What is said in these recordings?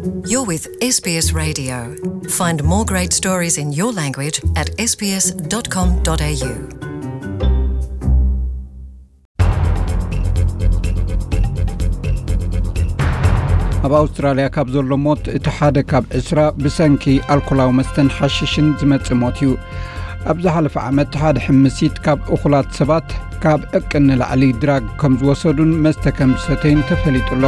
You're with S B S Radio. Find more great stories in your language at S B S dot com dot A U. ኣብ ኣውስትራልያ ካብ ዘሎ ሞት እቲ ሓደ ካብ ዕስራ ብሰንኪ ኣልኮላዊ መስተን ሓሽሽን ዝመጽእ ሞት እዩ። ኣብ ዝሓለፈ ዓመት ሓደ ሕምሲት ካብ እኹላት ሰባት ካብ ዕቅን ንላዕሊ ድራግ ከም ዝወሰዱን መስተ ከም ዝሰተዩን ተፈሊጡ ኣሎ።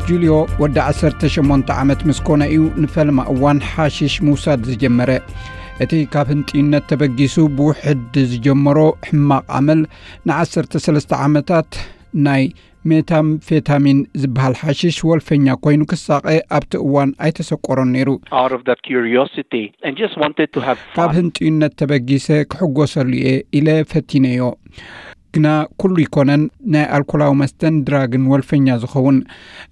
ጁልዮ ወዲ ዓሰርተ ሸሞንተ ዓመት ምስ ኮነ እዩ ንፈለማ እዋን ሓሽሽ ምውሳድ ዝጀመረ። እቲ ካብ ህንጥዩነት ተበጊሱ ብውሕድ ዝጀመሮ ሕማቕ ኣመል ንዓሰርተ ሰለስተ ዓመታት ናይ ሜታምፌታሚን ዝበሃል ሓሽሽ ወልፈኛ ኮይኑ ክሳቐ ኣብቲ እዋን ኣይተሰቆሮን ነይሩ። Out of that curiosity and just wanted to have ካብ fun. ህንጥዩነት ተበጊሰ ክሕጎሰሉ እየ ኢለ ፈቲነዮ። ግና ኩሉ ይኮነን ናይ ኣልኮላዊ መስተን ድራግን ወልፈኛ ዝኸውን።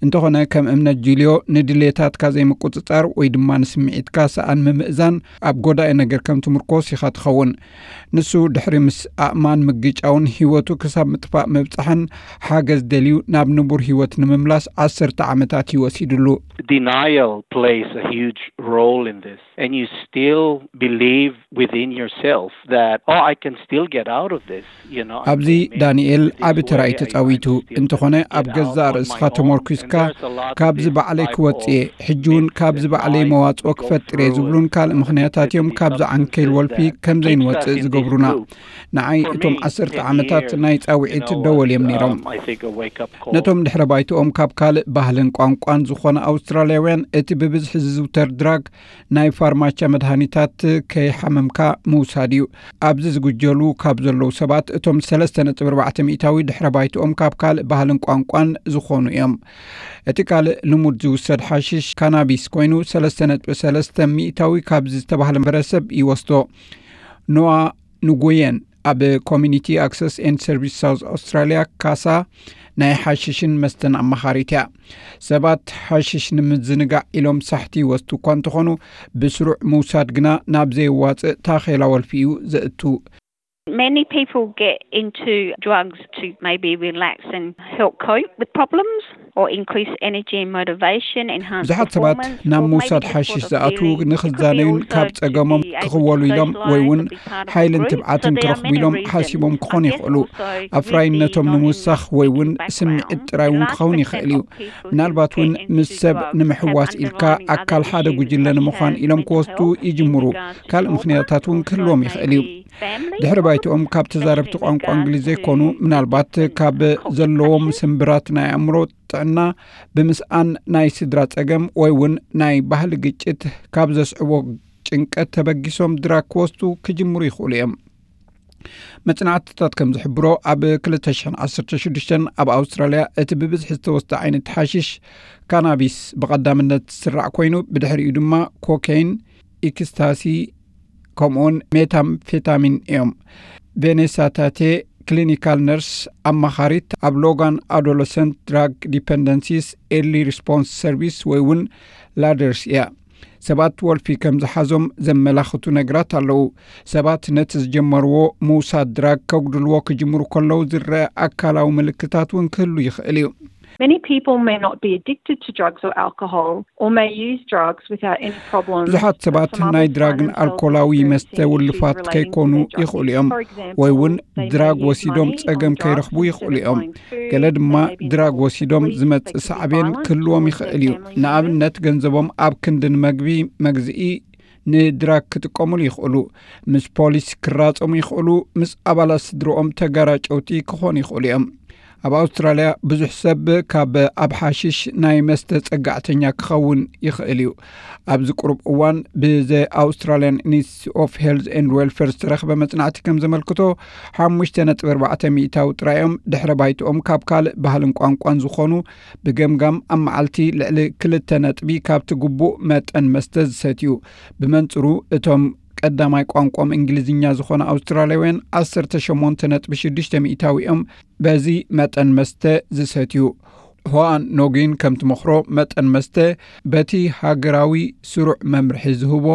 እንተኾነ ከም እምነት ጁልዮ ንድሌታትካ ዘይምቁጽጻር ወይ ድማ ንስምዒትካ ሰኣን ምምእዛን ኣብ ጎዳኢ ነገር ከም ትምርኮስ ኢኻ ትኸውን። ንሱ ድሕሪ ምስ ኣእማን ምግጫውን ህይወቱ ክሳብ ምጥፋእ ምብጻሕን ሓገዝ ደልዩ ናብ ንቡር ህይወት ንምምላስ ዓሰርተ ዓመታት እዩ ወሲድሉ። Denial plays a huge role in this, and you still believe within yourself that, "Oh, I can still get out of this." You know, I'm ኣብዚ ዳንኤል ዓቢ ተራ እዩ ተጻዊቱ። እንተኾነ ኣብ ገዛእ ርእስኻ ተመርኩስካ ካብዚ ባዕለይ ክወጽእ እየ፣ ሕጂ እውን ካብዚ ባዕለይ መዋጽኦ ክፈጥር እየ ዝብሉን ካልእ ምኽንያታት እዮም ካብዚ ዓንኬል ወልፊ ከም ዘይንወጽእ ዝገብሩና። ንዓይ እቶም ዓሰርተ ዓመታት ናይ ጻውዒት ደወል እዮም ነይሮም። ነቶም ድሕረ ባይትኦም ካብ ካልእ ባህልን ቋንቋን ዝኾነ ኣውስትራልያውያን እቲ ብብዝሒ ዝዝውተር ድራግ ናይ ፋርማቻ መድሃኒታት ከይሓመምካ ምውሳድ እዩ። ኣብዚ ዝጉጀሉ ካብ ዘለዉ ሰባት እቶም ሰለስተ ነጥቢ ኣርባዕተ ሚእታዊ ድሕረ ባይትኦም ካብ ካልእ ባህልን ቋንቋን ዝኾኑ እዮም። እቲ ካልእ ልሙድ ዝውሰድ ሓሽሽ ካናቢስ ኮይኑ ሰለስተ ነጥቢ ሰለስተ ሚእታዊ ካብዚ ዝተባህለ ማሕበረሰብ ይወስዶ። ኖዋ ንጉየን ኣብ ኮሚኒቲ ኣክሰስ ኤንድ ሰርቪስ ሳውዝ ኣውስትራልያ ካሳ ናይ ሓሽሽን መስተን ኣማኻሪት እያ። ሰባት ሓሽሽ ንምዝንጋዕ ኢሎም ሳሕቲ ይወስዱ እኳ እንተኾኑ ብስሩዕ ምውሳድ ግና ናብ ዘየዋፅእ ታኼላ ወልፊ እዩ ዘእቱ። Many people get into drugs to maybe relax and help cope with problems or increase energy and motivation, enhance ብዙሓት ሰባት ናብ ምውሳድ ሓሽሽ ዝኣትዉ ንኽዛነዩን ካብ ጸገሞም ክኽወሉ ኢሎም ወይ እውን ሓይልን ትብዓትን ክረኽቡ ኢሎም ሓሲቦም ክኾኑ ይኽእሉ። ኣፍራይነቶም ንምውሳኽ ወይ እውን ስምዒት ጥራይ እውን ክኸውን ይኽእል እዩ። ምናልባት እውን ምስ ሰብ ንምሕዋስ ኢልካ ኣካል ሓደ ጉጅለ ንምዃን ኢሎም ክወስዱ ይጅምሩ። ካልእ ምኽንያታት እውን ክህልዎም ይኽእል እዩ። ድሕሪ ባይትኦም ካብ ተዛረብቲ ቋንቋ እንግሊዝ ዘይኮኑ፣ ምናልባት ካብ ዘለዎም ስምብራት ናይ ኣእምሮ ጥዕና ብምስኣን፣ ናይ ስድራ ጸገም ወይ እውን ናይ ባህሊ ግጭት ካብ ዘስዕቦ ጭንቀት ተበጊሶም ድራግ ክወስዱ ክጅምሩ ይኽእሉ እዮም። መጽናዕትታት ከም ዝሕብሮ ኣብ ክልተ ሽሕን ዓሰርተ ሽዱሽተን ኣብ ኣውስትራልያ እቲ ብብዝሒ ዝተወስደ ዓይነት ሓሽሽ ካናቢስ ብቐዳምነት ዝስራዕ ኮይኑ ብድሕሪኡ ድማ ኮኬይን፣ ኢክስታሲ ከምኡውን ሜታምፌታሚን እዮም። ቬኔሳ ታቴ ክሊኒካል ነርስ ኣማኻሪት ኣብ ሎጋን ኣዶለሰንት ድራግ ዲፐንደንሲስ ኤርሊ ሪስፖንስ ሰርቪስ ወይ እውን ላደርስ እያ። ሰባት ወልፊ ከም ዝሓዞም ዘመላኽቱ ነገራት ኣለዉ። ሰባት ነቲ ዝጀመርዎ ምውሳድ ድራግ ከጉድልዎ ክጅምሩ ከለዉ ዝረአ ኣካላዊ ምልክታት እውን ክህሉ ይኽእል እዩ። Many people may not be addicted to drugs or alcohol or may use drugs without any problems. ብዙሓት ሰባት ናይ ድራግን ኣልኮላዊ መስተ ውልፋት ከይኮኑ ይኽእሉ እዮም፣ ወይ እውን ድራግ ወሲዶም ጸገም ከይረኽቡ ይኽእሉ እዮም። ገለ ድማ ድራግ ወሲዶም ዝመጽእ ሳዕቤን ክህልዎም ይኽእል እዩ። ንኣብነት ገንዘቦም ኣብ ክንዲ ንመግቢ መግዝኢ ንድራግ ክጥቀሙሉ ይኽእሉ፣ ምስ ፖሊስ ክራጸሙ ይኽእሉ፣ ምስ ኣባላት ስድርኦም ተጋራጨውቲ ክኾኑ ይኽእሉ እዮም። ኣብ ኣውስትራልያ ብዙሕ ሰብ ካብ ኣብ ሓሽሽ ናይ መስተ ጸጋዕተኛ ክኸውን ይኽእል እዩ። ኣብዚ ቁሩብ እዋን ብዘ ኣውስትራልያን ኢንስቲትዩት ኦፍ ሄልዝ ኤንድ ዌልፌር ዝተረኽበ መጽናዕቲ ከም ዘመልክቶ ሓሙሽተ ነጥቢ ኣርባዕተ ሚእታዊ ጥራይ እዮም ድሕረ ባይትኦም ካብ ካልእ ባህልን ቋንቋን ዝኾኑ ብገምጋም ኣብ መዓልቲ ልዕሊ ክልተ ነጥቢ ካብቲ ግቡእ መጠን መስተ ዝሰትዩ። ብመንጽሩ እቶም ቀዳማይ ቋንቋኦም እንግሊዝኛ ዝኾነ ኣውስትራልያውያን ዓሰርተ ሸሞንተ ነጥቢ ሽዱሽተ ሚእታዊ እዮም በዚ መጠን መስተ ዝሰትዩ። ሆኣን ኖጊን ከም ትመኽሮ መጠን መስተ በቲ ሃገራዊ ስሩዕ መምርሒ ዝህቦ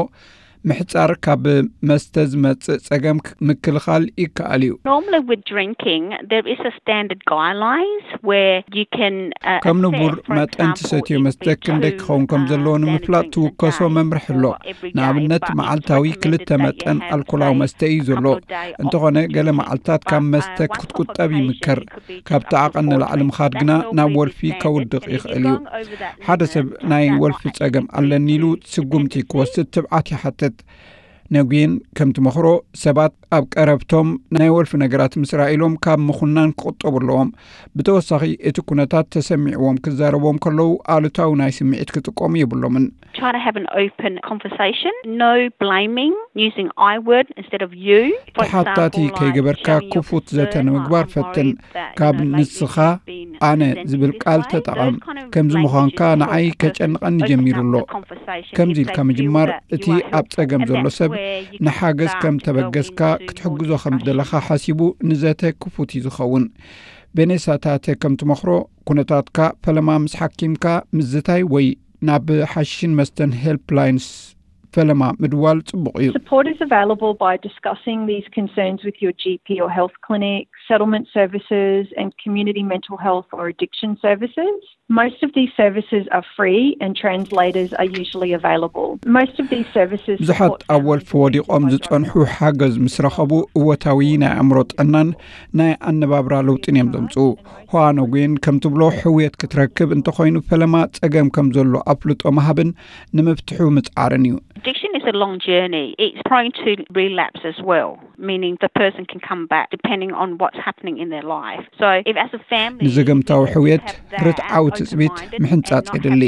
ምሕጻር ካብ መስተ ዝመጽእ ጸገም ምክልኻል ይከኣል እዩ። Normally with drinking, there is a standard guidelines where you can uh, ከምንቡር መጠን ትሰትዮ መስተ ክንደይ ክኸውን ከም ዘለዎ ንምፍላጥ ትውከሶ መምርሒ ኣሎ። ንኣብነት መዓልታዊ ክልተ መጠን ኣልኮላዊ መስተ እዩ ዘሎ። እንተኾነ ገለ መዓልታት ካብ መስተ ክትቁጠብ ይምከር። ካብቲ ዓቐን ንላዕሊ ምኻድ ግና ናብ ወልፊ ከውድቕ ይኽእል እዩ። ሓደ ሰብ ናይ ወልፊ ጸገም ኣለኒ ኢሉ ስጉምቲ ክወስድ ትብዓት ይሓትት። ነጉየን ከም ትመኽሮ ሰባት ኣብ ቀረብቶም ናይ ወልፊ ነገራት ምስ ረኣይሎም ካብ ምኹናን ክቑጠቡ ኣለዎም። ብተወሳኺ እቲ ኩነታት ተሰሚዕዎም ክዛረብዎም ከለዉ ኣሉታዊ ናይ ስምዒት ክጥቀሙ የብሎምን። Try to have an open conversation. No blaming, using I word instead of you. ተሓታቲ ከይገበርካ ክፉት ዘተ ንምግባር ፈትን። ካብ ንስኻ ኣነ ዝብል ቃል ተጠቐም። ከምዚ ምዃንካ ንዓይ ከጨንቐኒ ጀሚሩ ኣሎ። ከምዚ ኢልካ ምጅማር እቲ ኣብ ጸገም ዘሎ ሰብ ንሓገዝ ከም ተበገስካ ክትሕግዞ ከም ዘለኻ ሓሲቡ ንዘተ ክፉት እዩ ዝኸውን። ቤኔሳታተ ከም ትመኽሮ ኩነታትካ ፈለማ ምስ ሓኪምካ ምዝታይ ወይ ናብ ሓሽሽን መስተን ሄልፕላይንስ ፈለማ ምድዋል ጽቡቕ እዩ። Support is available by discussing these concerns with your G P or health clinic, settlement services, and community mental health or addiction services. Most of these services are free and translators are usually available. Most of these services ብዙሓት ኣብ ወልፊ ወዲቖም ዝጸንሑ ሓገዝ ምስ ረኸቡ እወታዊ ናይ ኣእምሮ ጥዕናን ናይ ኣነባብራ ለውጥን እዮም ዘምጽኡ። ሆዋኖጉን ከም ትብሎ ሕውየት ክትረክብ እንተኾይኑ ፈለማ ጸገም ከም ዘሎ ኣፍልጦ ምሃብን ንምፍትሑ ምጽዓርን እዩ። Addiction is a long journey. It's prone to relapse as well, meaning the person can come back depending on what's happening in their life. So if as a family ንዘገምታዊ ሕውየት ርትዓዊ ትጽቢት ምሕንጻጽ የድሊ።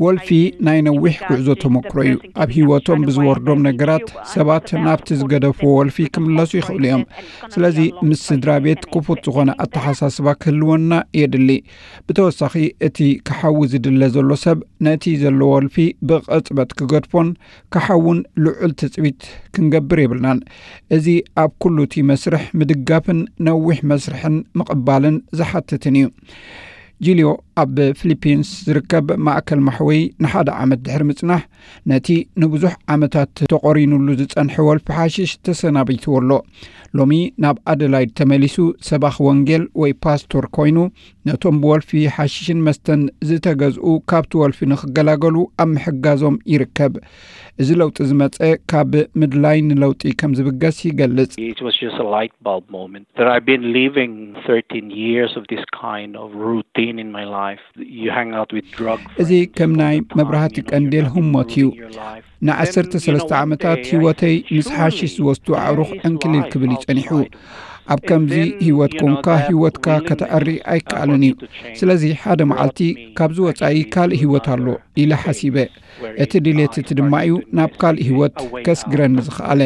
ወልፊ ናይ ነዊሕ ጉዕዞ ተመክሮ እዩ። ኣብ ህይወቶም ብዝወርዶም ነገራት ሰባት ናብቲ ዝገደፍዎ ወልፊ ክምለሱ ይኽእሉ እዮም። ስለዚ ምስ ስድራ ቤት ክፉት ዝኾነ ኣተሓሳስባ ክህልወና የድሊ። ብተወሳኺ እቲ ክሓዊ ዝድለ ዘሎ ሰብ ነቲ ዘለዎ ወልፊ ብቕጽበት ክገድፎን ክሓውን ልዑል ትጽቢት ክንገብር የብልናን። እዚ ኣብ ኩሉ እቲ መስርሕ ምድጋፍን ነዊሕ መስርሕን ምቕባልን ዝሓትትን እዩ። ጂልዮ ኣብ ፊሊፒንስ ዝርከብ ማእከል ማሕወይ ንሓደ ዓመት ድሕሪ ምጽናሕ ነቲ ንብዙሕ ዓመታት ተቖሪኑሉ ዝጸንሐ ወልፊ ሓሽሽ ተሰናቢትዎ ኣሎ። ሎሚ ናብ ኣደላይድ ተመሊሱ ሰባኽ ወንጌል ወይ ፓስቶር ኮይኑ ነቶም ብወልፊ ሓሽሽን መስተን ዝተገዝኡ ካብቲ ወልፊ ንኽገላገሉ ኣብ ምሕጋዞም ይርከብ። እዚ ለውጢ ዝመጸ ካብ ምድላይ ንለውጢ ከም ዝብገስ ይገልጽ። It was just a light bulb moment that I've been living thirteen years of this kind of routine in my life. You hang out with drug እዚ ከም ናይ መብራህቲ ቀንዴል ህሞት እዩ። ንዓሰርተ ሰለስተ ዓመታት ህይወተይ ምስ ሓሽሽ ዝወስዱ ኣዕሩኽ ዕንክሊል ክብል እዩ ጸኒሑ። ኣብ ከምዚ ህይወት ኮንካ ህይወትካ ከተዕሪ ኣይከኣልን እዩ። ስለዚ ሓደ መዓልቲ ካብዚ ወጻኢ ካልእ ህይወት ኣሎ ኢለ ሓሲበ። እቲ ድሌት እቲ ድማ እዩ ናብ ካልእ ህይወት ከስግረኒ ዝኸኣለ።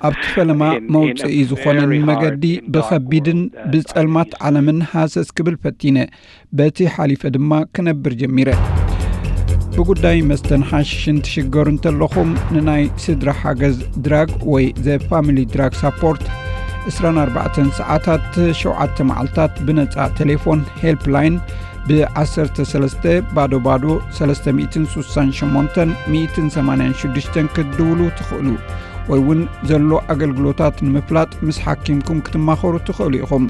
ኣብቲ ፈለማ መውጽኢ ዝኾነኒ መገዲ ብኸቢድን ብጸልማት ዓለምን ሃሰስ ክብል ፈቲነ። በቲ ሓሊፈ ድማ ክነብር ጀሚረ። ብጉዳይ መስተን ሓሽሽን ትሽገሩ እንተለኹም ንናይ ስድራ ሓገዝ ድራግ ወይ ዘ ፋሚሊ ድራግ ሳፖርት ዕስራን ኣርባዕተን ሰዓታት ሸውዓተ መዓልታት ብነጻ ቴሌፎን ሄልፕላይን ብ13 ባዶ ባዶ 368 186 ክትድውሉ ትኽእሉ ወይ እውን ዘሎ ኣገልግሎታት ንምፍላጥ ምስ ሓኪምኩም ክትማኸሩ ትኽእሉ ኢኹም።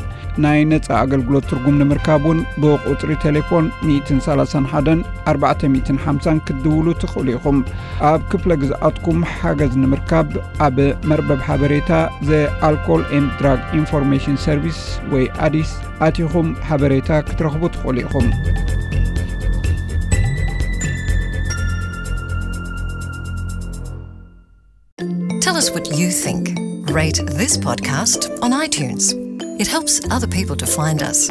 ናይ ነጻ ኣገልግሎት ትርጉም ንምርካብ እውን ብቁጽሪ ቴሌፎን 131 450 ክትድውሉ ትኽእሉ ኢኹም። ኣብ ክፍለ ግዝኣትኩም ሓገዝ ንምርካብ ኣብ መርበብ ሓበሬታ ዘ ኣልኮል ኤንድ ድራግ ኢንፎርሜሽን ሰርቪስ ወይ ኣዲስ ኣቲኹም ሓበሬታ ክትረኽቡ ትኽእሉ ኢኹም። Tell us what you think. Rate this podcast on iTunes. It helps other people to find us.